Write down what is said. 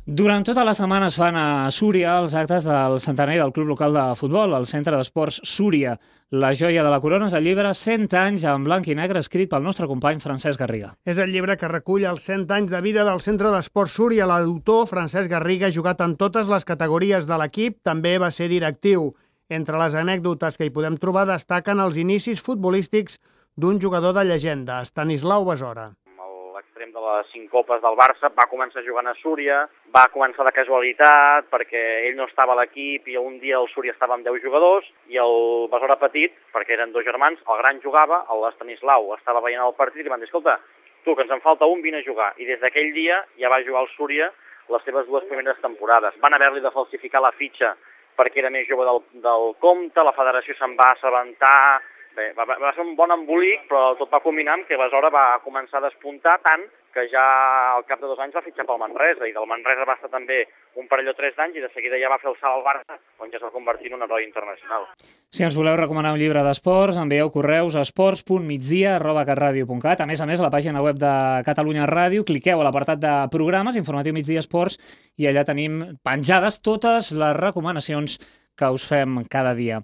Durant tota la setmana es fan a Súria els actes del centenari del club local de futbol, el Centre d'Esports Súria. La joia de la corona és el llibre 100 anys en blanc i negre escrit pel nostre company Francesc Garriga. És el llibre que recull els 100 anys de vida del Centre d'Esports Súria. L'autor, Francesc Garriga, ha jugat en totes les categories de l'equip, també va ser directiu. Entre les anècdotes que hi podem trobar destaquen els inicis futbolístics d'un jugador de llegenda, Estanislau Besora. L'extrem de les 5 copes del Barça va començar jugant a Súria, va començar de casualitat perquè ell no estava a l'equip i un dia el Súria estava amb 10 jugadors i el Besora petit, perquè eren 2 germans, el gran jugava, l'Estanislau estava veient el partit i li van dir, escolta, tu que ens en falta un, vine a jugar. I des d'aquell dia ja va jugar al Súria les seves 2 primeres temporades. Van haver-li de falsificar la fitxa perquè era més jove del compte, la federació se'n va assabentar. Bé, va ser un bon embolic, però tot va culminar amb que Besora va començar a despuntar tant que ja al cap de 2 anys va fitxar pel Manresa, i del Manresa va estar també un parell o 3 d'anys i de seguida ja va fer el salt al Barça, on ja es va convertir en un heroi internacional. Si ens voleu recomanar un llibre d'esports, envieu correus a esports.migdia@catradio.cat. A més, a la pàgina web de Catalunya Ràdio, cliqueu a l'apartat de programes, Informatiu Migdia Esports, i allà tenim penjades totes les recomanacions que us fem cada dia.